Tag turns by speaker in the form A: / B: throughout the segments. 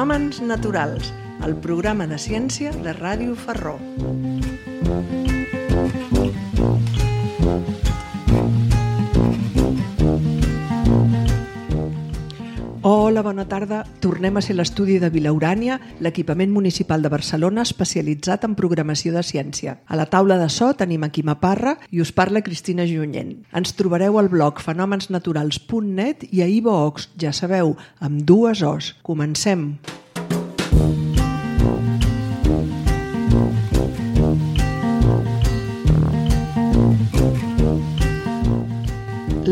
A: Fenòmens naturals, el programa de ciència de Ràdio Ferró. Hola, bona tarda. Tornem a ser l'estudi de Vilaurània, l'equipament municipal de Barcelona especialitzat en programació de ciència. A la taula de so tenim a Quima Parra i us parla Cristina Junyent. Ens trobareu al blog fenomensnaturals.net i a iVoox, ja sabeu, amb 2 Os. Comencem!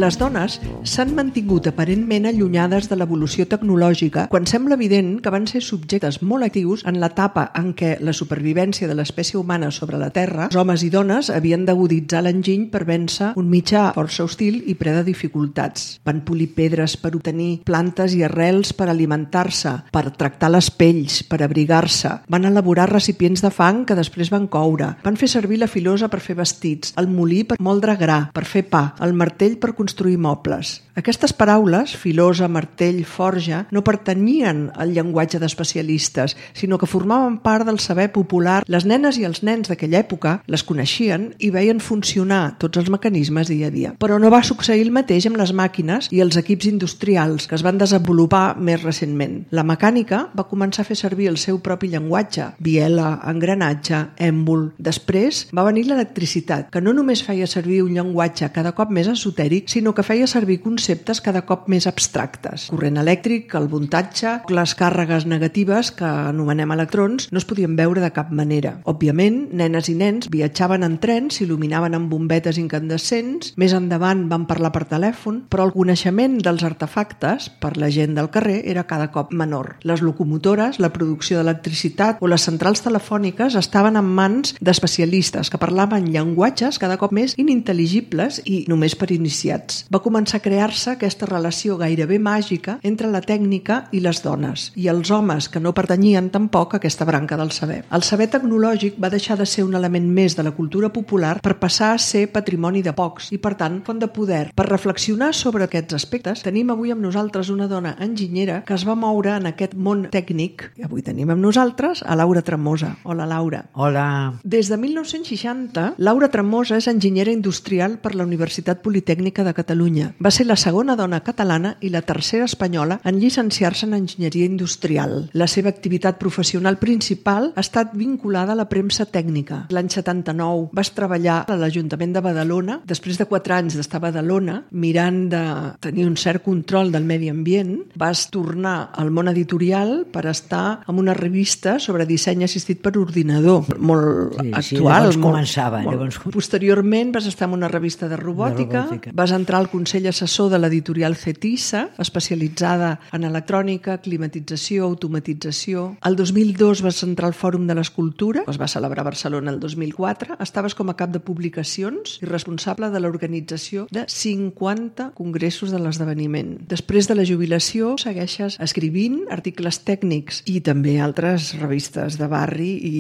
A: Les dones s'han mantingut aparentment allunyades de l'evolució tecnològica quan sembla evident que van ser subjectes molt actius en l'etapa en què la supervivència de l'espècie humana sobre la Terra, els homes i dones havien d'aguditzar l'enginy per vèncer un mitjà força hostil i ple de dificultats. Van polir pedres per obtenir plantes i arrels per alimentar-se, per tractar les pells, per abrigar-se. Van elaborar recipients de fang que després van coure. Van fer servir la filosa per fer vestits, el molí per moldre gra, per fer pa, el martell per construir mobles. Aquestes paraules, filosa, martell, forja, no pertanyien al llenguatge d'especialistes, sinó que formaven part del saber popular. Les nenes i els nens d'aquella època les coneixien i veien funcionar tots els mecanismes dia a dia. Però no va succeir el mateix amb les màquines i els equips industrials que es van desenvolupar més recentment. La mecànica va començar a fer servir el seu propi llenguatge, biela, engranatge, èmbol. Després va venir l'electricitat, que no només feia servir un llenguatge cada cop més esotèric, sinó que feia servir conceptes cada cop més abstractes. Corrent elèctric, el voltatge, les càrregues negatives, que anomenem electrons, no es podien veure de cap manera. Òbviament, nenes i nens viatjaven en trens, s'il·luminaven amb bombetes incandescents, més endavant van parlar per telèfon, però el coneixement dels artefactes per la gent del carrer era cada cop menor. Les locomotores, la producció d'electricitat o les centrals telefòniques estaven en mans d'especialistes que parlaven llenguatges cada cop més inintel·ligibles i només per iniciats. Va començar a crear-se aquesta relació gairebé màgica entre la tècnica i les dones, i els homes que no pertanyien tampoc a aquesta branca del saber. El saber tecnològic va deixar de ser un element més de la cultura popular per passar a ser patrimoni de pocs i, per tant, font de poder. Per reflexionar sobre aquests aspectes, tenim avui amb nosaltres una dona enginyera que es va moure en aquest món tècnic. I avui tenim amb nosaltres a Laura Tremosa. Hola, Laura.
B: Hola.
A: Des de 1960, Laura Tremosa és enginyera industrial per la Universitat Politècnica de Catalunya. Va ser la segona dona catalana i la tercera espanyola en llicenciar-se en enginyeria industrial. La seva activitat professional principal ha estat vinculada a la premsa tècnica. L'any 79 vas treballar a l'Ajuntament de Badalona. Després de 4 anys d'estar a Badalona, mirant de tenir un cert control del medi ambient, vas tornar al món editorial per estar en una revista sobre disseny assistit per ordinador, molt actual.
B: Llavors començava.
A: Posteriorment vas estar en una revista de robòtica. Vas entrar al Consell Assessor de l'editorial Cetissa, especialitzada en electrònica, climatització, automatització. El 2002 vas entrar al Fòrum de l'Escultura, es va celebrar a Barcelona el 2004. Estaves com a cap de publicacions i responsable de l'organització de 50 congressos de l'esdeveniment. Després de la jubilació segueixes escrivint articles tècnics i també altres revistes de barri i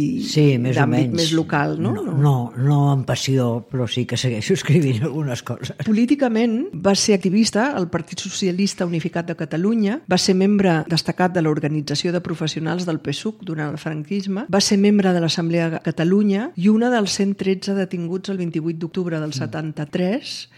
A: d'àmbit més local, no?
B: No amb passió, però sí que segueixo escrivint algunes coses.
A: Políticament va ser activista al Partit Socialista Unificat de Catalunya, va ser membre destacat de l'Organització de Professionals del PSUC durant el franquisme, va ser membre de l'Assemblea de Catalunya i una dels 113 detinguts el 28 d'octubre del 73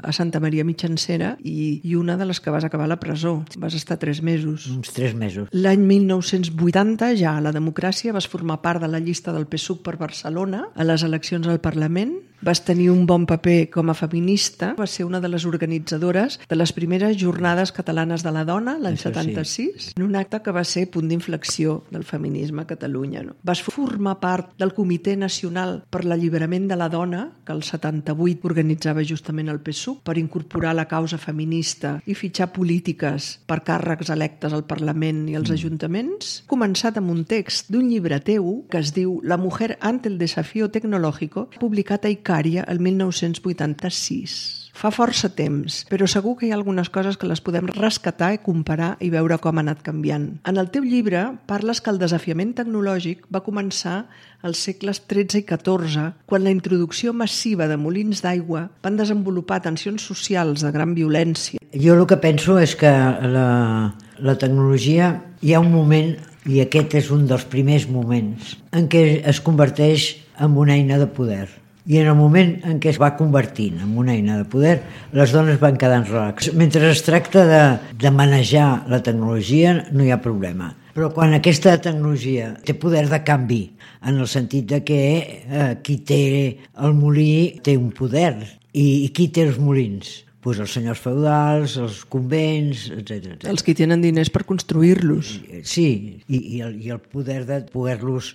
A: a Santa Maria Mitjancera i una de les que vas acabar a la presó. Vas estar 3 mesos.
B: Uns 3 mesos.
A: L'any 1980, ja a la democràcia, vas formar part de la llista del PSUC per Barcelona a les eleccions al Parlament. Vas tenir un bon paper com a feminista, vas ser una de les organitzadores de les primeres jornades catalanes de la dona, l'any 76, en un acte que va ser punt d'inflexió del feminisme a Catalunya. No? Vas formar part del Comitè Nacional per l'Alliberament de la Dona, que el 78 organitzava justament el PSUC, per incorporar la causa feminista i fitxar polítiques per càrrecs electes al Parlament i als ajuntaments. Començat amb un text d'un llibre teu que es diu La mujer ante el desafío tecnológico, publicat a Icària el 1986. Fa força temps, però segur que hi ha algunes coses que les podem rescatar i comparar i veure com ha anat canviant. En el teu llibre parles que el desafiament tecnològic va començar als segles XIII i XIV, quan la introducció massiva de molins d'aigua van desenvolupar tensions socials de gran violència.
B: Jo el que penso és que la tecnologia, hi ha un moment I aquest és un dels primers moments en què es converteix en una eina de poder. I en el moment en què es va convertint en una eina de poder, les dones van quedant relax. Mentre es tracta de manejar la tecnologia, no hi ha problema. Però quan aquesta tecnologia té poder de canvi, en el sentit de que qui té el molí té un poder, i qui té els molins? Pues els senyors feudals, els convents, etc.
A: Els que tenen diners per construir-los.
B: Sí, i el poder de poder-los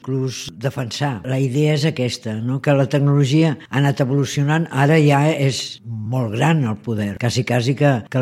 B: defensar. La idea és aquesta, no? Que la tecnologia ha anat evolucionant, ara ja és molt gran el poder. Quasi que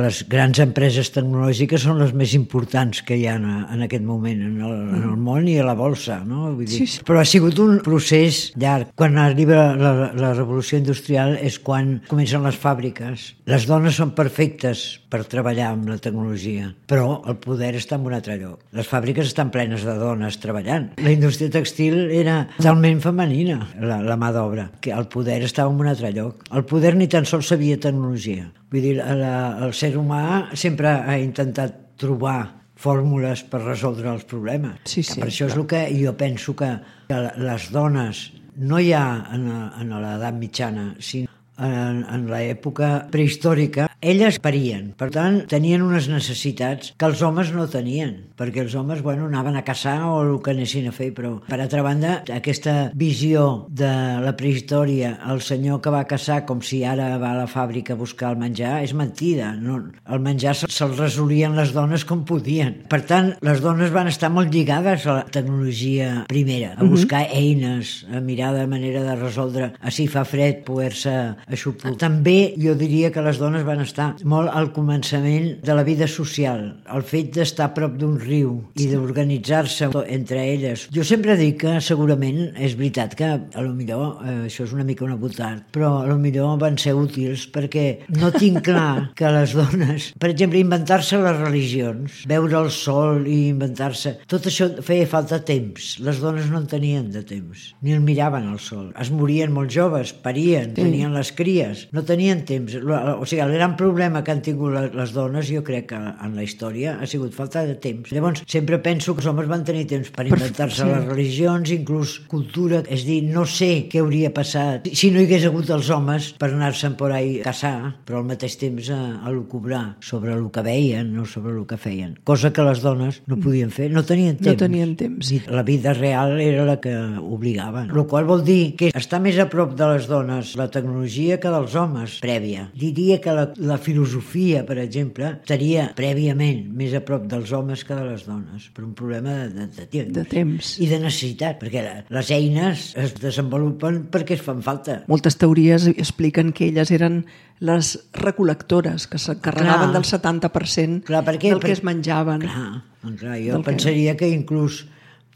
B: les grans empreses tecnològiques són les més importants que hi ha en aquest moment en el món i a la bolsa, no? Vull dir, sí. Però ha sigut un procés llarg. Quan arriba la revolució industrial és quan comencen les fàbriques. Les dones són perfectes per treballar amb la tecnologia, però el poder està en un altre lloc. Les fàbriques estan plenes de dones treballant. La indústria textil era totalment femenina, la mà d'obra, que el poder estava en un altre lloc. El poder ni tan sols sabia tecnologia. Vull dir, el ser humà sempre ha intentat trobar fórmules per resoldre els problemes.
A: Sí,
B: per això és el que jo penso que les dones, no ja en l'edat mitjana, sinó en l'època prehistòrica, elles parien. Per tant, tenien unes necessitats que els homes no tenien, perquè els homes, anaven a caçar o el que anessin a fer, però, per altra banda, aquesta visió de la prehistòria, el senyor que va caçar com si ara va a la fàbrica a buscar el menjar, és mentida. No, el menjar se'l resolien les dones com podien. Per tant, les dones van estar molt lligades a la tecnologia primera, a buscar eines, a mirar de manera de resoldre, si fa fred, poder-se aixoplugar. També jo diria que les dones van estar molt al començament de la vida social, el fet d'estar a prop d'un riu i d'organitzar-se entre elles. Jo sempre dic que segurament és veritat que a lo millor això és una mica una butard, però a lo millor van ser útils perquè no tinc clar que les dones, per exemple, inventar-se les religions, veure el sol i inventar-se, tot això feia falta temps. Les dones no en tenien de temps, ni el miraven al sol. Es morien molt joves, parien, tenien les cries, no tenien temps. O sigui, el gran problema que han tingut les dones, jo crec que en la història, ha sigut falta de temps. Llavors, sempre penso que els homes van tenir temps per inventar-se les religions, inclús cultura, és dir, no sé què hauria passat si no hi hagués hagut els homes per anar-se'n por ahí a caçar, però al mateix temps a lucubrar sobre el que veien, no sobre el que feien. Cosa que les dones no podien fer, no tenien temps.
A: No tenien temps.
B: I la vida real era la que obligaven. El qual vol dir que està més a prop de les dones la tecnologia que dels homes, prèvia. Diria que la filosofia, per exemple, estaria prèviament més a prop dels homes que de les dones, per un problema de temps. I de necessitat, perquè les eines es desenvolupen perquè es fan falta.
A: Moltes teories expliquen que elles eren les recol·lectores, que s'encarregaven del 70% del que es menjaven.
B: Clar, jo pensaria que inclús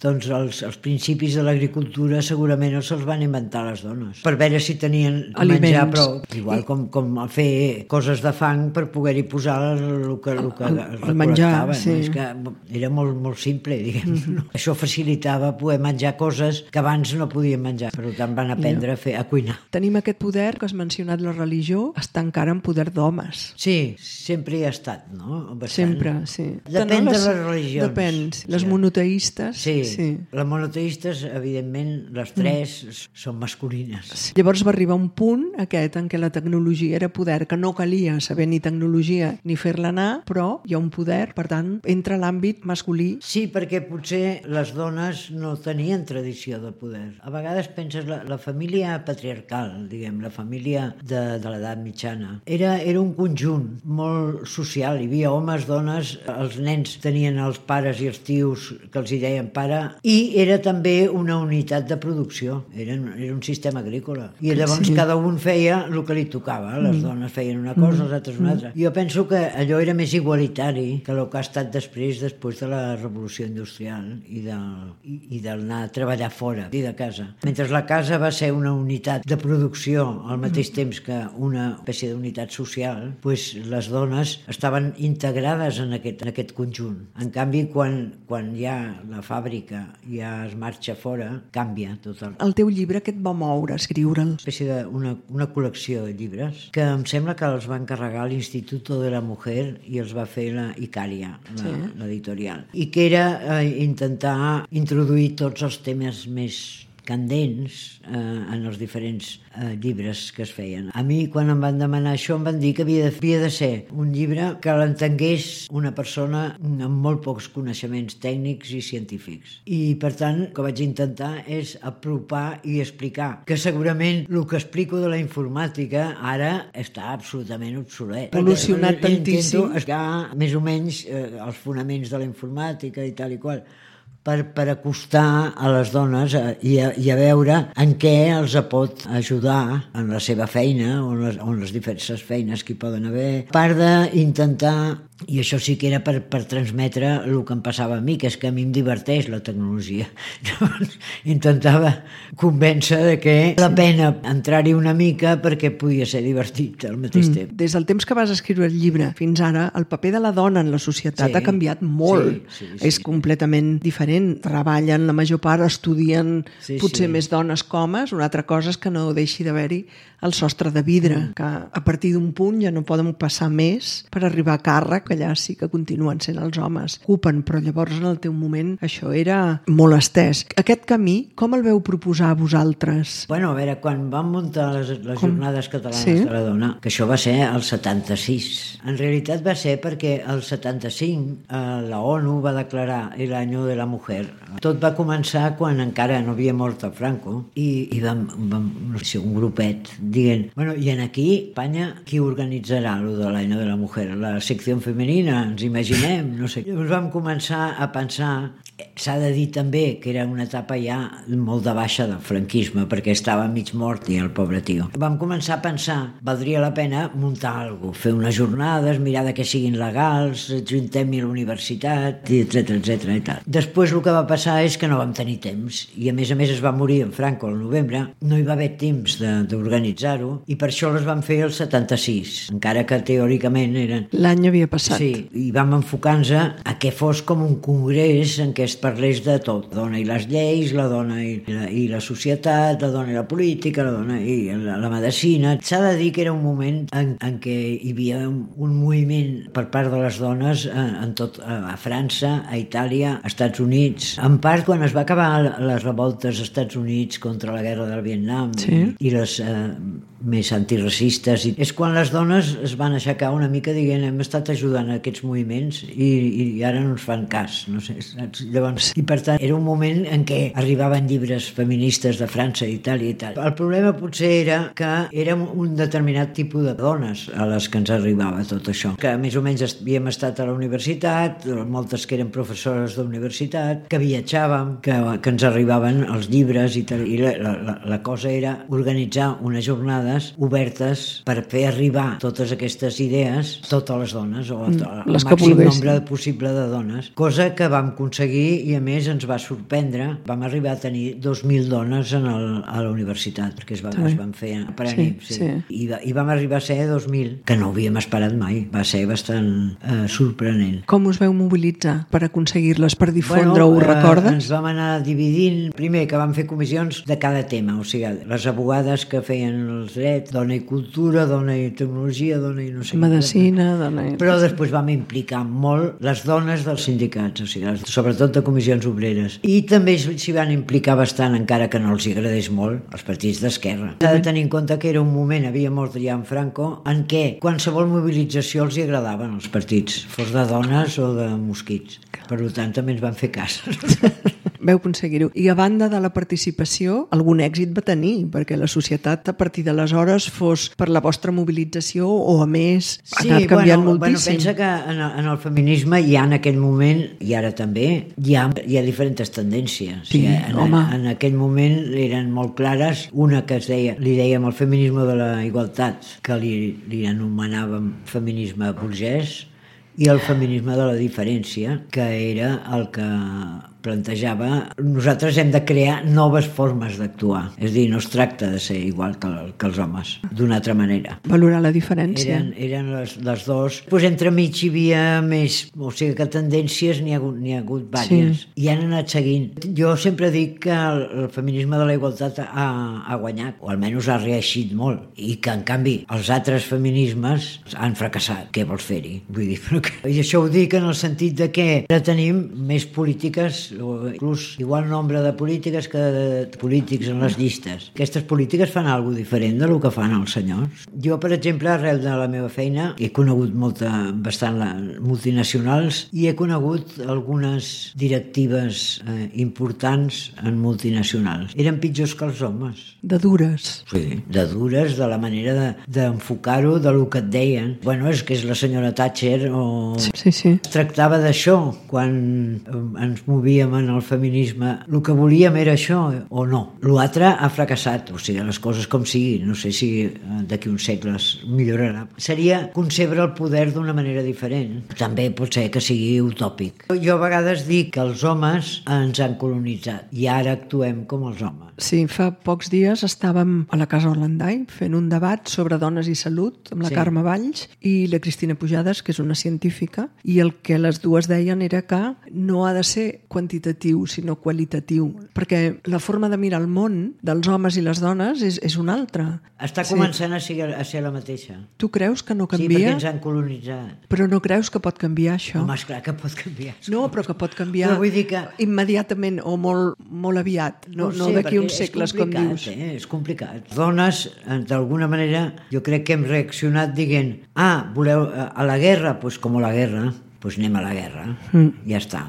B: els principis de l'agricultura segurament se'ls van inventar les dones per veure si tenien
A: aliments.
B: Menjar prou, igual com fer coses de fang per poder-hi posar el que recol·lectaven. Sí. És que era molt, molt simple, diguem. Això facilitava poder menjar coses que abans no podien menjar, per tant van aprendre a cuinar.
A: Tenim aquest poder que has mencionat, la religió està encara en poder d'homes.
B: Sí, sempre hi ha estat, no? Bastant.
A: Sempre, sí.
B: Depèn de les religions.
A: Depèn. Les monoteistes...
B: Sí. Les monoteistes, evidentment, les tres són masculines.
A: Sí. Llavors va arribar un punt aquest en què la tecnologia era poder, que no calia saber ni tecnologia ni fer-la anar, però hi ha un poder, per tant, entra l'àmbit masculí.
B: Sí, perquè potser les dones no tenien tradició de poder. A vegades penses la família patriarcal, diguem, la família de l'edat mitjana, era un conjunt molt social. Hi havia homes, dones, els nens tenien els pares i els tios que els hi deien pare, i era també una unitat de producció, era un sistema agrícola, i llavors cada un feia el que li tocava, les dones feien una cosa, els altres una altra. Jo penso que allò era més igualitari que el que ha estat després de la revolució industrial i d'anar a treballar fora i de casa. Mentre la casa va ser una unitat de producció al mateix temps que una espècie d'unitat social, doncs les dones estaven integrades en aquest conjunt. En canvi, quan hi ha la fàbrica històrica ja es marxa fora, canvia tot
A: El teu llibre, què et va moure escriure'l?
B: Una espècie una col·lecció de llibres que em sembla que els va encarregar l'Instituto de la Mujer i els va fer la Icària, l'editorial. I que era intentar introduir tots els temes més candents en els diferents llibres que es feien. A mi, quan em van demanar això, em van dir que havia de ser un llibre que l'entengués una persona amb molt pocs coneixements tècnics i científics. I, per tant, el que vaig intentar és apropar i explicar que segurament el que explico de la informàtica ara està absolutament obsolet.
A: Evolucionat tantíssim.
B: Intento explicar més o menys els fonaments de la informàtica i tal i qual, per acostar a les dones i a veure en què els pot ajudar en la seva feina o en les diverses feines que hi poden haver. A part d'intentar, i això sí que era per transmetre el que em passava a mi, que és que a mi em diverteix la tecnologia. Llavors intentava convèncer de que val la pena entrar-hi una mica perquè podia ser divertit al mateix temps.
A: Des del temps que vas escriure el llibre fins ara, el paper de la dona en la societat ha canviat molt. Sí. És completament diferent. Treballen, la major part estudien potser més dones que homes. Una altra cosa és que no deixi d'haver-hi el sostre de vidre, que a partir d'un punt ja no poden passar més per arribar a càrrec, que allà sí que continuen sent els homes. Ocupen, però llavors en el teu moment això era molt estès. Aquest camí, com el veu proposar a vosaltres?
B: Bueno, a veure, quan vam muntar les Jornades Catalanes de la Dona, que això va ser el 76. En realitat va ser perquè el 75 la ONU va declarar l'any de la mujer. Tot va començar quan encara no havia mort el Franco i vam ser un grupet dient, bueno, i aquí, Espanya, qui organitzarà lo de l'any de la mujer? La secció femenina, ens imaginem, no sé. Llavors vam començar a pensar, s'ha de dir també que era una etapa ja molt de baixa del franquisme, perquè estava mig mort i el pobre tio. Vam començar a pensar, valdria la pena muntar alguna cosa, fer unes jornades, mirar de que siguin legals, ajuntem-hi a la universitat, etcètera i tal. Després el que va passar és que no vam tenir temps, i a més es va morir en Franco al novembre, no hi va haver temps d'organitzar-ho, i per això les vam fer el 76, encara que teòricament eren...
A: L'any havia passat.
B: Sí, i vam enfocar-nos a que fos com un congrés en què es parlés de tot. La dona i les lleis, la dona i la societat, la dona i la política, la dona i la medicina. S'ha de dir que era un moment en què hi havia un moviment per part de les dones en tot, a França, a Itàlia, a Estats Units. En part, quan es va acabar les revoltes als Estats Units contra la guerra del Vietnam i les més antiracistes, és quan les dones es van aixecar una mica dient hem estat ajudant a aquests moviments i ara no ens fan cas, no sé, saps? Llavors, i per tant era un moment en què arribaven llibres feministes de França, Itàlia i tal. El problema potser era que érem un determinat tipus de dones a les que ens arribava tot això, que més o menys havíem estat a la universitat, moltes que eren professores d'universitat, que viatjàvem, que ens arribaven els llibres i tal, i la cosa era organitzar unes jornades obertes per fer arribar totes aquestes idees a totes les dones o al màxim nombre possible de dones, cosa que vam aconseguir i a més ens va sorprendre. Vam arribar a tenir 2.000 dones a la universitat, perquè es van fer per ànim, i vam arribar a ser 2.000, que no ho havíem esperat mai. Va ser bastant sorprenent.
A: Com us veu mobilitzar per aconseguir-les, per difondre-ho, recordes?
B: Ens vam anar dividint, primer que vam fer comissions de cada tema, o sigui, les abogades que feien els drets, dona i cultura, dona i tecnologia, dona i no sé
A: medicina, dona i...
B: Però després vam implicar molt les dones dels sindicats, o sigui, sobretot de comissions obreres. I també s'hi van implicar bastant, encara que no els agradés molt, els partits d'esquerra. S'ha de tenir en compte que era un moment, havia mort ja en Franco, en què qualsevol mobilització els hi agradaven als partits, fos de dones o de mosquits. Per tant, també ens van fer cas.
A: Veu aconseguir-ho. I a banda de la participació, algun èxit va tenir, perquè la societat a partir d'aleshores fos per la vostra mobilització o a més ha anat canviant moltíssim.
B: Pensa que en el feminisme hi ha en aquell moment, i ara també, hi ha diferents tendències.
A: Sí,
B: en aquell moment eren molt clares, una que li dèiem el feminisme de la igualtat, que li anomenàvem feminisme burgès, i el feminisme de la diferència, que era el que plantejava, nosaltres hem de crear noves formes d'actuar. És a dir, no es tracta de ser igual que els homes, d'una altra manera.
A: Valorar la diferència.
B: Eren les dos. Pues entremig hi havia més, o sigui que tendències n'hi ha hagut diverses. I han anat seguint. Jo sempre dic que el feminisme de la igualtat ha guanyat, o almenys ha reeixit molt, i que en canvi els altres feminismes han fracassat. Què vols fer-hi? Vull dir, i això ho dic en el sentit de que ara tenim més polítiques, o inclús igual nombre de polítiques que de polítics en les llistes. Aquestes polítiques fan alguna cosa diferent del que fan els senyors. Jo, per exemple, arrel de la meva feina, he conegut bastant multinacionals i he conegut algunes directives importants en multinacionals. Eren pitjors que els homes.
A: De dures.
B: Sí, de dures, de la manera d'enfocar-ho, de lo que et deien. Bueno, és que és la senyora Thatcher o...
A: Sí.
B: Es tractava d'això quan ens movíem en el feminisme. El que volíem era això o no. L'altre ha fracassat, o sigui, les coses com siguin. No sé si d'aquí uns segles millorarà. Seria concebre el poder d'una manera diferent. També pot ser que sigui utòpic. Jo a vegades dic que els homes ens han colonitzat i ara actuem com els homes.
A: Sí, fa pocs dies estàvem a la Casa Orlandai fent un debat sobre dones i salut amb la Carme Valls i la Cristina Pujades, que és una científica, i el que les dues deien era que no ha de ser quantitatiu, sinó qualitatiu, perquè la forma de mirar el món dels homes i les dones és una altra.
B: Està començant a ser la mateixa.
A: Tu creus que no canvia?
B: Sí, perquè ens han colonitzat.
A: Però no creus que pot canviar això?
B: Home, esclar que pot canviar.
A: No, però que pot canviar immediatament o molt aviat, no d'aquí uns segles, com dius.
B: És complicat. Dones, d'alguna manera, jo crec que hem reaccionat dient voleu a la guerra? Doncs com a la guerra. Doncs anem a la guerra, ja està.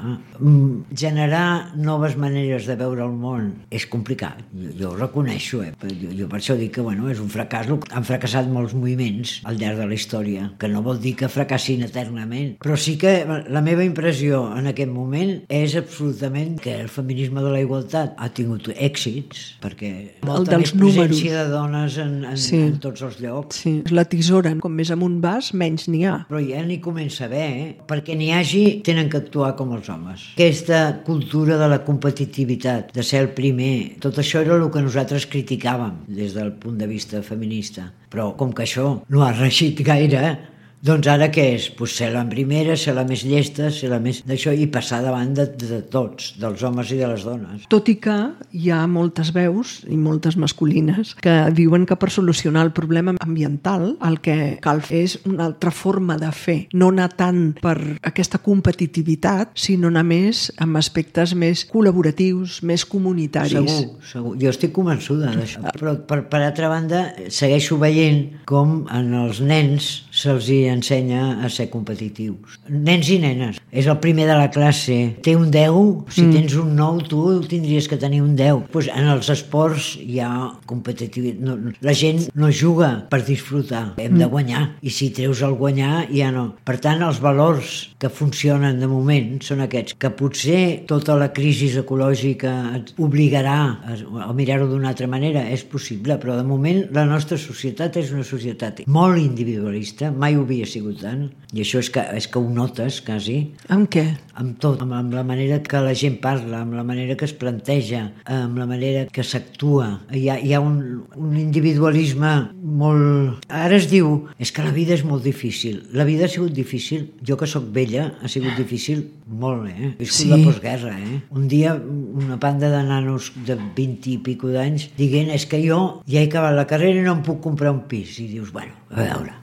B: Generar noves maneres de veure el món és complicat, jo ho reconeixo, jo per això dic que és un fracàs. Han fracassat molts moviments al llarg de la història, que no vol dir que fracassin eternament, però sí que la meva impressió en aquest moment és absolutament que el feminisme de la igualtat ha tingut èxits, perquè molta més presència de dones en tots els llocs.
A: Sí, la tisora, com més amunt vas, menys n'hi ha.
B: Però ja n'hi comença a haver, perquè n'hi hagi, tenen que actuar com els homes. Aquesta cultura de la competitivitat, de ser el primer, tot això era el que nosaltres criticàvem des del punt de vista feminista. Però com que això no ha reeixit gaire, doncs ara què és? Pues ser la primera, ser la més llesta, ser la més d'això i passar davant de tots, dels homes i de les dones.
A: Tot i que hi ha moltes veus, i moltes masculines, que diuen que per solucionar el problema ambiental el que cal fer és una altra forma de fer. No anar tant per aquesta competitivitat, sinó anar més amb aspectes més col·laboratius, més comunitaris.
B: Segur. Jo estic convençuda d'això. Però per altra banda, segueixo veient com en els nens se'ls ensenya a ser competitius. Nens i nenes. És el primer de la classe. Té un 10, si tens un 9, tu tindries que tenir un 10. Pues en els esports hi ha competitivitat. La gent no juga per disfrutar. Hem de guanyar. I si treus el guanyar, ja no. Per tant, els valors que funcionen de moment són aquests. Que potser tota la crisi ecològica et obligarà a mirar-ho d'una altra manera. És possible, però de moment la nostra societat és una societat molt individualista. Mai ho havia sigut tant, i això és que ho notes quasi.
A: Amb què?
B: Amb tot, amb la manera que la gent parla, amb la manera que es planteja, amb la manera que s'actua. Hi ha un individualisme molt... Ara es diu, és que la vida és molt difícil. La vida ha sigut difícil, jo que sóc vella, ha sigut difícil molt, He viscut la postguerra, Un dia una banda de nanos de 20 i pico d'anys dient, és que jo ja he acabat la carrera i no em puc comprar un pis. I dius, bueno, a veure...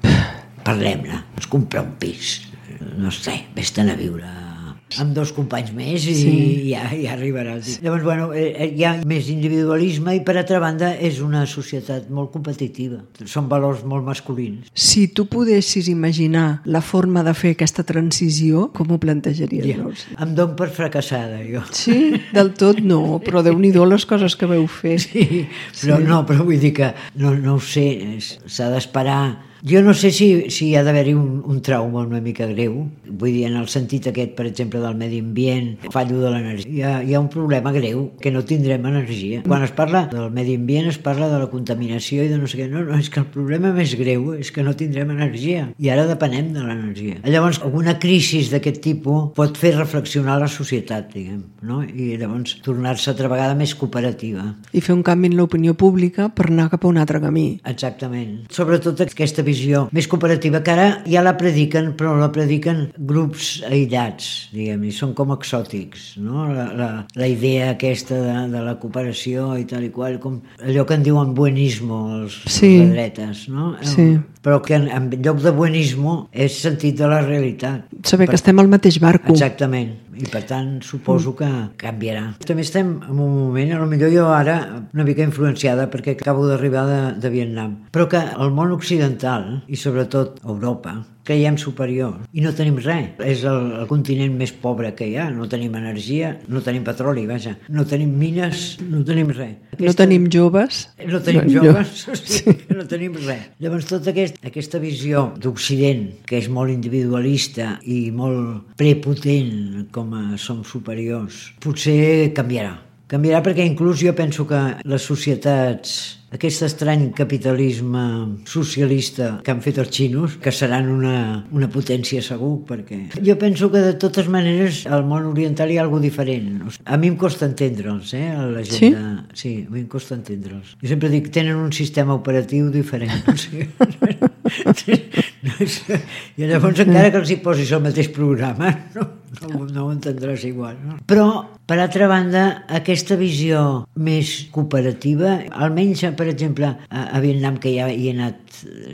B: Parlem-ne, ens compra un pis, no sé, vés-te'n a viure amb 2 companys més i ja arribaràs. Llavors, hi ha més individualisme i per altra banda és una societat molt competitiva. Són valors molt masculins.
A: Si tu podessis imaginar la forma de fer aquesta transició, com ho plantejaries?
B: Em dono per fracassada, jo.
A: Sí? Del tot no, però Déu-n'hi-do les coses que veu fer.
B: Sí, però vull dir que no ho sé, s'ha d'esperar Jo no sé si hi ha d'haver-hi un trauma una mica greu, vull dir, en el sentit aquest, per exemple, del medi ambient, fallo de l'energia. Hi ha un problema greu, que no tindrem energia. Quan es parla del medi ambient es parla de la contaminació i de no sé què. No, és que el problema més greu és que no tindrem energia i ara depenem de l'energia. Llavors, alguna crisi d'aquest tipus pot fer reflexionar la societat, diguem, no? I llavors tornar-se altra vegada més cooperativa.
A: I fer un canvi en l'opinió pública per anar cap a un altre camí.
B: Exactament. Sobretot aquesta visió més cooperativa, que ara ja la prediquen, però la prediquen grups aïllats, diguem, i són com exòtics, no? La idea aquesta de la cooperació i tal i qual, com allò que en diuen buenismo, els de dretes, no?
A: Sí.
B: Però que en lloc de buenismo és sentit de la realitat.
A: Saber que estem al mateix barco.
B: Exactament. I per tant suposo que canviarà. També estem en un moment, potser jo ara una mica influenciada perquè acabo d'arribar de Vietnam, però que el món occidental i sobretot Europa creiem superior i no tenim res. És el continent més pobre que hi ha. No tenim energia, no tenim petroli, vaja. No tenim mines, no tenim res.
A: No tenim joves.
B: No tenim joves, o sigui, no tenim res. Llavors tota aquesta visió d'Occident, que és molt individualista i molt prepotent com som superiors, potser canviarà. Canviarà perquè inclús jo penso que les societats, aquest estrany capitalisme socialista que han fet els xinos, que seran una potència segur, perquè jo penso que de totes maneres al món oriental hi ha alguna diferent. A mi em costa entendre'ls, la gent
A: sí?
B: Sí, a mi em costa entendre'ls. Jo sempre dic, tenen un sistema operatiu diferent. O sigui, i llavors encara que els hi posis el mateix programa, no ho entendràs igual. No? Però, per altra banda, aquesta visió més cooperativa, almenys, per exemple, a Vietnam, que ja hi he anat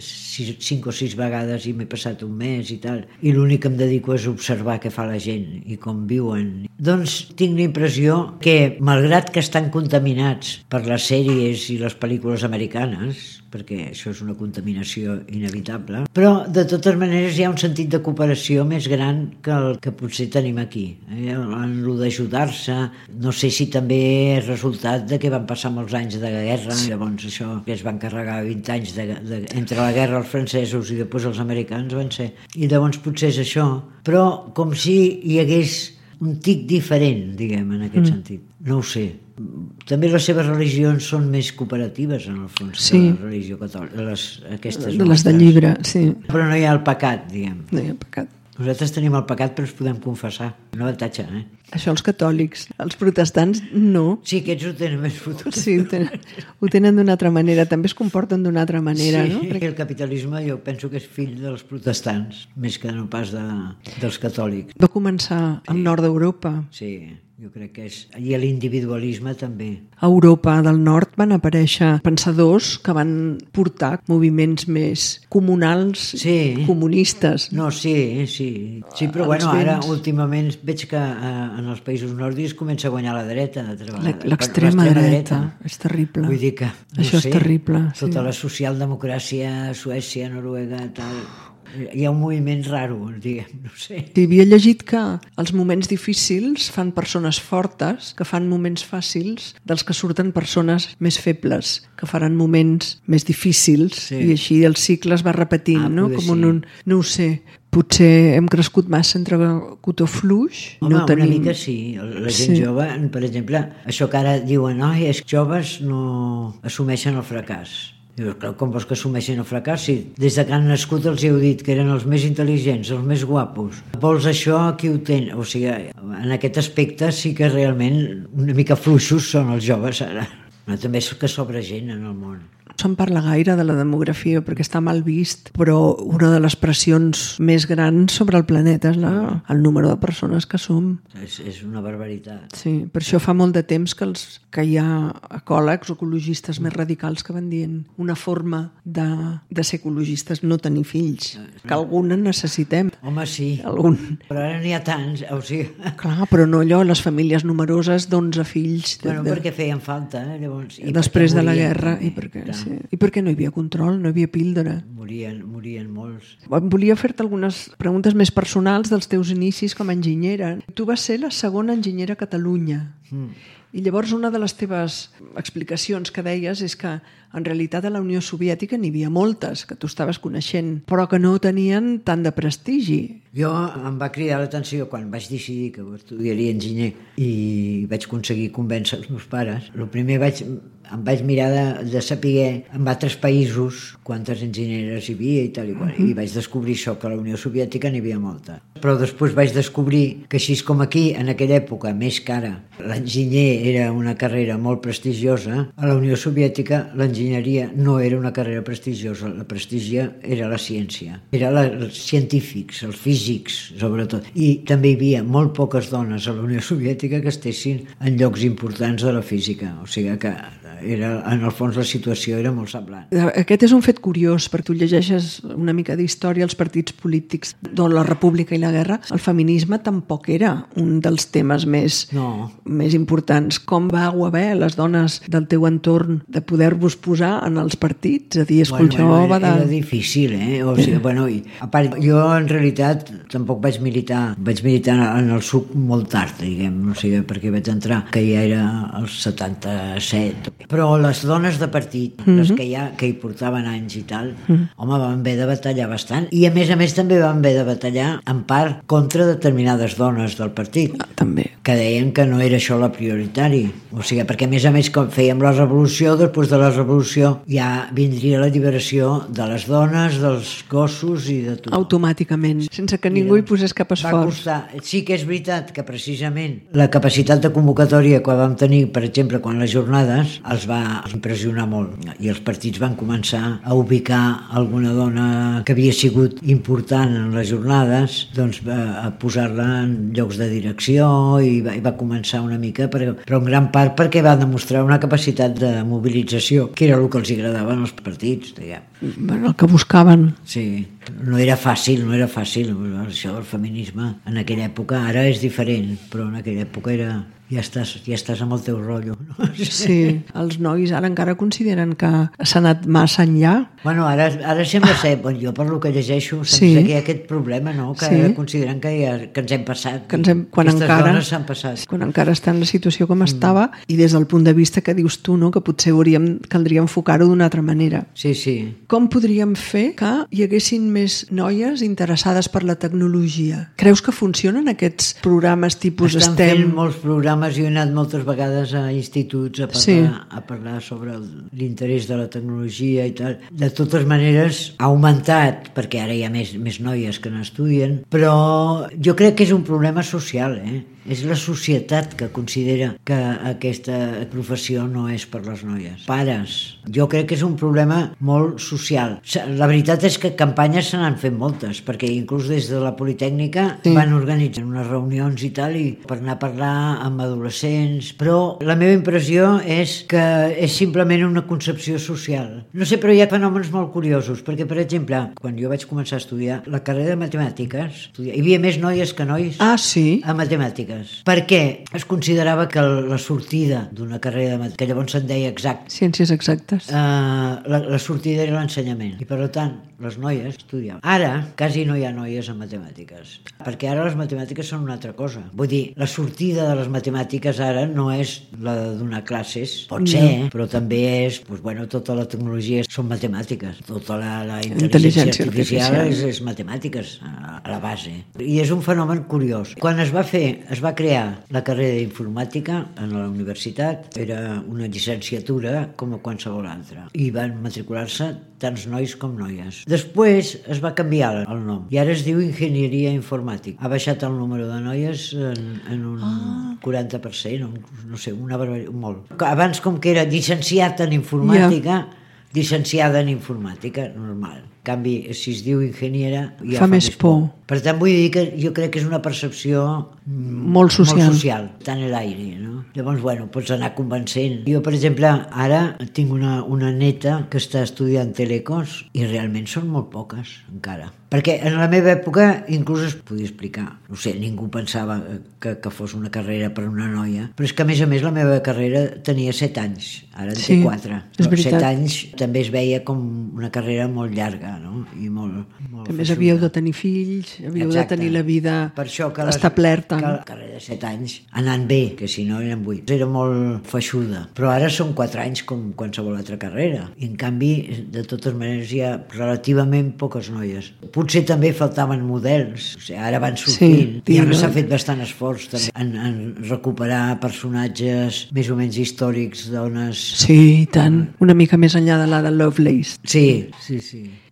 B: 5 o 6 vegades i m'he passat un mes i tal, i l'únic que em dedico és observar què fa la gent i com viuen. Doncs tinc la impressió que, malgrat que estan contaminats per les sèries i les pel·lícules americanes, perquè això és una contaminació inevitable, però de totes maneres hi ha un sentit de cooperació més gran que el que potser tenim aquí. En lo d'ajudar-se, no sé si també és resultat de que van passar molts anys de guerra, llavors això que es van carregar 20 anys entre la guerra els francesos i després els americans van ser, i llavors potser és això, però com si hi hagués un tic diferent, diguem, en aquest sentit. No ho sé. També les seves religions són més cooperatives, en el fons, que la religió catòlica. Aquestes
A: les de llibre, sí.
B: Però no hi ha el pecat, diguem.
A: No hi ha pecat.
B: Nosaltres tenim el pecat però ens podem confessar. Un avantatge,
A: Això els catòlics. Els protestants, no.
B: Sí, aquests ho tenen més fotut.
A: Sí, ho tenen d'una altra manera. També es comporten d'una altra manera, no?
B: Perquè el capitalisme jo penso que és fill dels protestants, més que no pas dels catòlics.
A: Va començar al nord d'Europa.
B: Sí, jo crec que és... I l'individualisme també.
A: A Europa del Nord van aparèixer pensadors que van portar moviments més comunals, comunistes.
B: No, sí, però bueno, ara últimament veig que en els països nòrdics comença a guanyar la dreta.
A: L'extrema dreta. És terrible.
B: Vull dir que...
A: Això és terrible.
B: Tota la socialdemocràcia, Suècia, Noruega, tal... Hi ha un moviment raro, diguem, no sé.
A: Havia llegit que els moments difícils fan persones fortes, que fan moments fàcils, dels que surten persones més febles, que faran moments més difícils, i així el cicle es va repetint, no? Com no ho sé. Potser hem crescut massa entre cotó fluix.
B: Home, una mica sí. La gent jove, per exemple, això que ara diuen, és que joves no assumeixen el fracàs. Dius, com vols que assumeixin el fracàs? Si des que han nascut els heu dit que eren els més intel·ligents, els més guapos. Vols això, qui ho té? O sigui, en aquest aspecte sí que realment una mica fluixos són els joves ara. Però també és que sobra gent en el món.
A: No se'n parla gaire de la demografia perquè està mal vist, però una de les pressions més grans sobre el planeta és el número de persones que som.
B: És una barbaritat.
A: Sí, per això fa molt de temps que hi ha ecòlegs, ecologistes més radicals que van dient una forma de ser ecologistes no tenir fills, que alguna necessitem.
B: Home, sí, però ara n'hi ha tants, o sigui...
A: Clar, però no allò, les famílies numeroses d'11 fills.
B: Bueno, perquè feien falta, llavors...
A: Després de la guerra, i per què? I per què no hi havia control, no hi havia píldora?
B: Morien molts.
A: Volia fer-te algunes preguntes més personals dels teus inicis com a enginyera. Tu vas ser la segona enginyera a Catalunya. I llavors una de les teves explicacions que deies és que en realitat a la Unió Soviètica n'hi havia moltes que tu estaves coneixent, però que no tenien tant de prestigi.
B: Jo em va cridar l'atenció quan vaig decidir que estudiaria enginyer i vaig aconseguir convèncer els meus pares. El primer em vaig mirar de saber en altres països quantes enginyeres hi havia i tal i qual, i vaig descobrir això, que a la Unió Soviètica n'hi havia molta. Però després vaig descobrir que així com aquí, en aquella època, més que ara, l'enginyer era una carrera molt prestigiosa, a la Unió Soviètica l'enginyeria no era una carrera prestigiosa, la prestigia era la ciència, eren els científics, els físics, sobretot. I també hi havia molt poques dones a la Unió Soviètica que estessin en llocs importants de la física, o sigui que en el fons la situació era molt semblant.
A: Aquest és un fet curiós, perquè tu llegeixes una mica d'història als partits polítics de la República i la Guerra. El feminisme tampoc era un dels temes més importants. Com vau haver les dones del teu entorn de poder-vos posar en els partits? A dir,
B: era difícil, O sigui, a part, jo en realitat tampoc vaig militar en el SUC molt tard, diguem, o sigui, perquè vaig entrar, que ja era als 77. Però les dones de partit, les que hi portaven anys i tal, home, van haver de batallar bastant. I a més també van haver de batallar en part contra determinades dones del partit.
A: També.
B: Que deien que no era això la prioritari. O sigui, perquè a més, com fèiem la revolució, després de la revolució ja vindria l'alliberació de les dones, dels gossos i de tot.
A: Automàticament, sense que ningú hi posés cap esforç.
B: Sí que és veritat que precisament la capacitat de convocatòria que vam tenir, per exemple, quan les jornades, els va impressionar molt. I els partits van començar a ubicar alguna dona que havia sigut important en les jornades, doncs a posar-la en llocs de direcció i va començar una mica, però en gran part perquè va demostrar una capacitat de mobilització, que era el que els agradava als partits, diguem.
A: El que buscaven.
B: Sí, no era fàcil, això del feminisme en aquella època, ara és diferent, però en aquella època era... Ja estàs amb el teu rotllo. No?
A: Sí, els nois ara encara consideren que s'ha anat massa enllà.
B: Ara sembla ser, jo per lo que llegeixo, sembla que hi ha aquest problema, no? Que ara consideren que ens hem passat. Aquestes dones s'han passat.
A: Quan encara està en la situació com estava, i des del punt de vista que dius tu, no? Que potser caldria enfocar-ho d'una altra manera.
B: Sí.
A: Com podríem fer que hi haguessin més noies interessades per la tecnologia? Creus que funcionen aquests programes tipus STEM?
B: Estan fent molts programes. Jo he anat moltes vegades a instituts a parlar sobre l'interès de la tecnologia i tal. De totes maneres, ha augmentat, perquè ara hi ha més noies que n'estudien, però jo crec que és un problema social, És la societat que considera que aquesta professió no és per les noies. Pares. Jo crec que és un problema molt social. La veritat és que campanyes se n'han fet moltes, perquè inclús des de la Politècnica van organitzar unes reunions i tal, i per anar a parlar amb adolescents, però la meva impressió és que és simplement una concepció social. No sé, però hi ha fenòmens molt curiosos, perquè, per exemple, quan jo vaig començar a estudiar la carrera de matemàtiques, hi havia més noies que nois a matemàtiques. Perquè es considerava que la sortida d'una carrera de matemàtiques, que llavors se'n deia
A: ciències exactes,
B: la sortida era l'ensenyament, i per tant les noies estudiaven. Ara quasi no hi ha noies en matemàtiques, perquè ara les matemàtiques són una altra cosa. Vull dir, la sortida de les matemàtiques ara no és la de donar classes, pot ser, però també és, tota la tecnologia són matemàtiques, tota la intel·ligència artificial és matemàtiques a la base. I és un fenomen curiós. Quan es va crear la carrera d'informàtica en la universitat, era una llicenciatura com a qualsevol altra, i van matricular-se tants nois com noies. Després es va canviar el nom i ara es diu enginyeria informàtica. Ha baixat el número de noies en un 40%, no sé, una barbaritat, molt. Abans, com que era llicenciat en informàtica, llicenciada en informàtica, normal. En canvi, si es diu enginyera, ja fa més por. Per tant, vull dir que jo crec que és una percepció
A: molt social,
B: tant en l'aire, no? Llavors, pots anar convencent. Jo, per exemple, ara tinc una neta que està estudiant telecos i realment són molt poques, encara. Perquè en la meva època inclús es podia explicar. No sé, ningú pensava que fos una carrera per una noia, però és que, a més, la meva carrera tenia 7 anys, ara en té 4. 7 anys també es veia com una carrera molt llarga. no? I molt
A: a més havíeu de tenir fills, havíeu de tenir la vida establerta.
B: Que la carrera de 7 anys anant bé, que si no eren 8. Era molt feixuda. Però ara són 4 anys com qualsevol altra carrera. I en canvi, de totes maneres, hi ha relativament poques noies. Potser també faltaven models. O sigui, ara van sortint. I ara s'ha fet bastant esforç també en recuperar personatges més o menys històrics, dones...
A: Sí, i tant. Una mica més enllà de la de Lovelace.
B: Sí.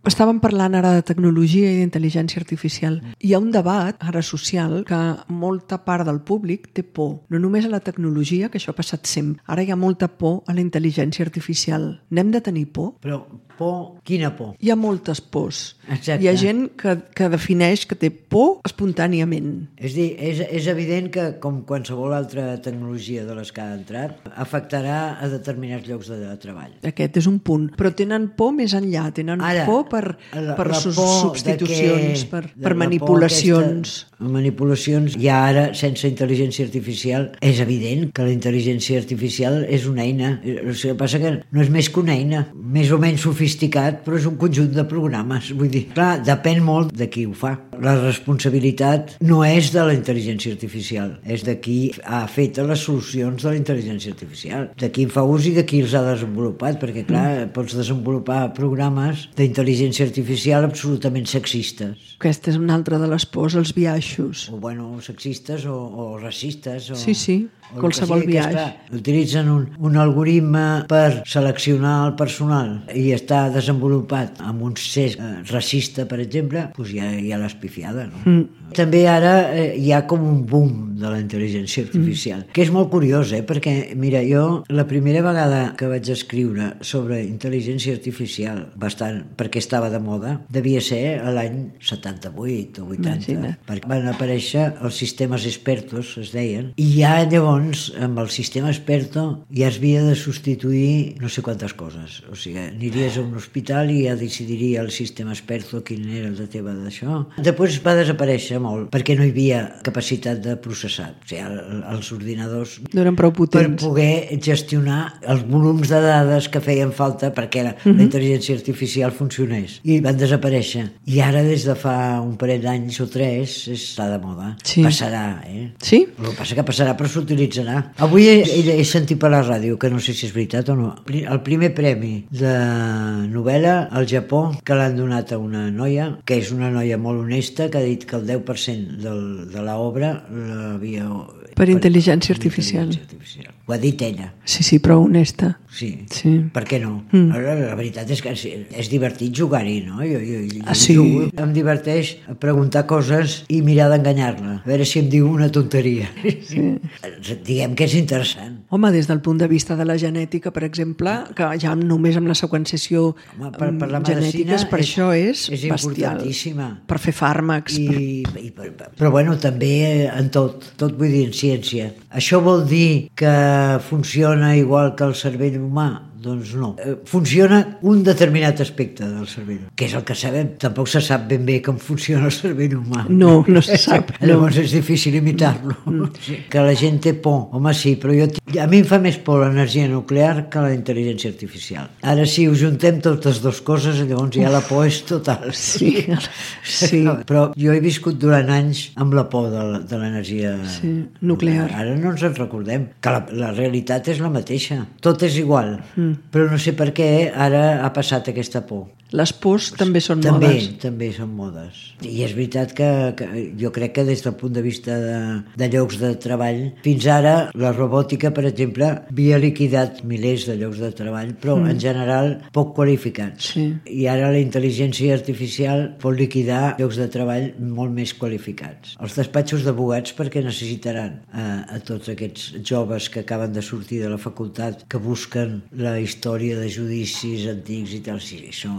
A: Estàvem parlant ara de tecnologia i d'intel·ligència artificial. Hi ha un debat ara social que molta part del públic té por. No només a la tecnologia, que això ha passat sempre. Ara hi ha molta por a la intel·ligència artificial. N'hem de tenir por?
B: Però por, quina por?
A: Hi ha moltes pors.
B: Exacte.
A: Hi ha gent que defineix que té por espontàniament.
B: És dir, és evident que, com qualsevol altra tecnologia de les que ha entrat, afectarà a determinats llocs de treball.
A: Aquest és un punt. Però tenen por més enllà. Tenen por per substitucions, per manipulacions.
B: Manipulacions. I ara, sense intel·ligència artificial, és evident que la intel·ligència artificial és una eina. El que passa que no és més que una eina, més o menys sofisticat, però és un conjunt de programes. Vull dir, clar, depèn molt de qui ho fa. La responsabilitat no és de la intel·ligència artificial, és de qui ha fet les solucions de la intel·ligència artificial, de qui en fa ús i de qui els ha desenvolupat, perquè, clar, pots desenvolupar programes d'intel·ligència artificial absolutament sexistes.
A: Aquesta és una altra de les pors, els biaixos.
B: O, bueno, sexistes o racistes.
A: Sí, qualsevol biaix.
B: Utilitzen un algoritme per seleccionar el personal i està desenvolupat amb un cesc racista, per exemple, doncs ja l'has pifiada, no? També ara hi ha com un boom de la intel·ligència artificial, que és molt curiós, perquè, mira, jo la primera vegada que vaig escriure sobre intel·ligència artificial, bastant, perquè estava de moda, devia ser l'any 78 o 80,
A: Imagina.
B: perquè van aparèixer els sistemes expertos, es deien, i ja llavors, amb el sistema experto, ja es havia de substituir no sé quantes coses. O sigui, aniries a un hospital i ja decidiria el sistema experto quin era el de teva d'això. Després va desaparèixer molt, perquè no hi havia capacitat de processar. O sigui, els ordinadors
A: no eren prou potents
B: per poder gestionar els volums de dades que feien falta perquè la intel·ligència artificial funcionés. I van desaparèixer. I ara, des de fa un parell d'anys o 3, està de moda.
A: Sí.
B: Passarà,
A: Sí?
B: El que passa que passarà, però s'utilitzarà. Avui he sentit per la ràdio, que no sé si és veritat o no, el primer premi de novel·la al Japó que l'han donat a una noia, que és una noia molt honesta, que ha dit que el 10% de l'obra l'havia...
A: Per intel·ligència artificial.
B: Ho ha dit ella.
A: Sí, però honesta.
B: Sí. Per què no? La veritat és que és divertit jugar-hi, no?
A: Sí.
B: Em diverteix preguntar coses i mirar d'enganyar-la. A veure si em diu una tonteria. Sí. Diguem que és interessant.
A: Home, des del punt de vista de la genètica, per exemple, que ja només amb la seqüenciació genètica, per això és bestial.
B: Importantíssima.
A: Per fer fàrmacs.
B: Però bueno, també en tot vull dir, en ciència. Això vol dir que funciona igual que el cervell humà? Doncs no. Funciona un determinat aspecte del cervell, que és el que sabem. Tampoc se sap ben bé com funciona el cervell humà.
A: No se sap.
B: Llavors és difícil imitar-lo. Que la gent té por. Home, sí, però a mi em fa més por l'energia nuclear que la intel·ligència artificial. Ara, si ho juntem totes dues coses, llavors ja la por és total.
A: Sí.
B: Però jo he viscut durant anys amb la por de l'energia
A: nuclear.
B: Ara no ens en recordem, que la realitat és la mateixa. Tot és igual. Però no sé per què ara ha passat aquesta por.
A: Les pors també són modes.
B: També són modes. I és veritat que jo crec que des del punt de vista de llocs de treball, fins ara la robòtica, per exemple, havia liquidat milers de llocs de treball, però en general poc qualificats.
A: Sí.
B: I ara la intel·ligència artificial pot liquidar llocs de treball molt més qualificats. Els despatxos d'advocats, perquè necessitaran a tots aquests joves que acaben de sortir de la facultat, que busquen la història de judicis antics i tal. Sí, això...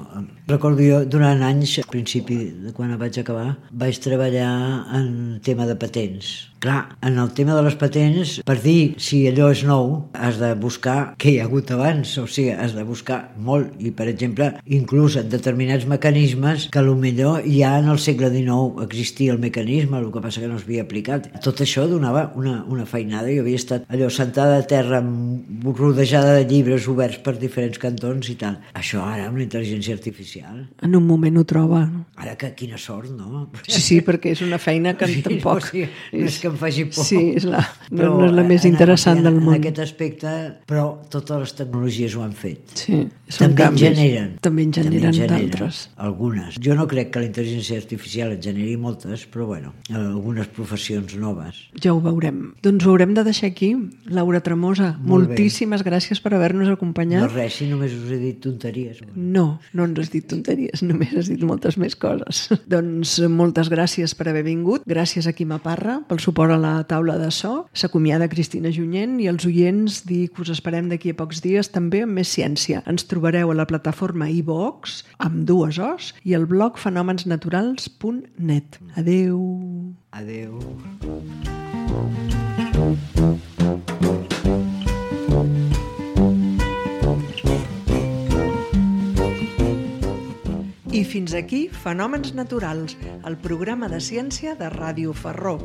B: Recordo jo, durant anys, al principi de quan vaig acabar, vaig treballar en tema de patents. Clar, en el tema de les patents, per dir si allò és nou, has de buscar què hi ha hagut abans, o sigui, has de buscar molt. I, per exemple, inclús en determinats mecanismes que potser ja en el segle XIX existia el mecanisme, el que passa que no s'havia aplicat. Tot això donava una feinada. Jo havia estat allò sentada a terra rodejada de llibres oberts per diferents cantons i tal. Això ara, amb la intel·ligència artificial, artificial.
A: En un moment ho troba.
B: Ara que quina sort, no?
A: Sí, perquè és una feina que tampoc...
B: No és que em faci por.
A: Sí, no és la més interessant del món.
B: En aquest aspecte, però totes les tecnologies ho han fet.
A: Sí, són canvis. També en generen d'altres.
B: Algunes. Jo no crec que la intel·ligència artificial en generi moltes, però bueno, algunes professions noves.
A: Ja ho veurem. Doncs ho haurem de deixar aquí. Laura Tremosa, moltíssimes gràcies per haver-nos acompanyat.
B: No res, si només us he dit tonteries.
A: No ens has dit tonteries, només has dit moltes més coses. Doncs moltes gràcies per haver vingut. Gràcies a Quima Parra pel suport a la taula de so. S'acomiada Cristina Junyent i els oients dir que us esperem d'aquí a pocs dies també amb més ciència. Ens trobareu a la plataforma iVox amb 2 Os i al blog fenomenasnaturals.net. Adeu.
B: Adeu.
A: I fins aquí Fenòmens Naturals, el programa de ciència de Ràdio Ferró.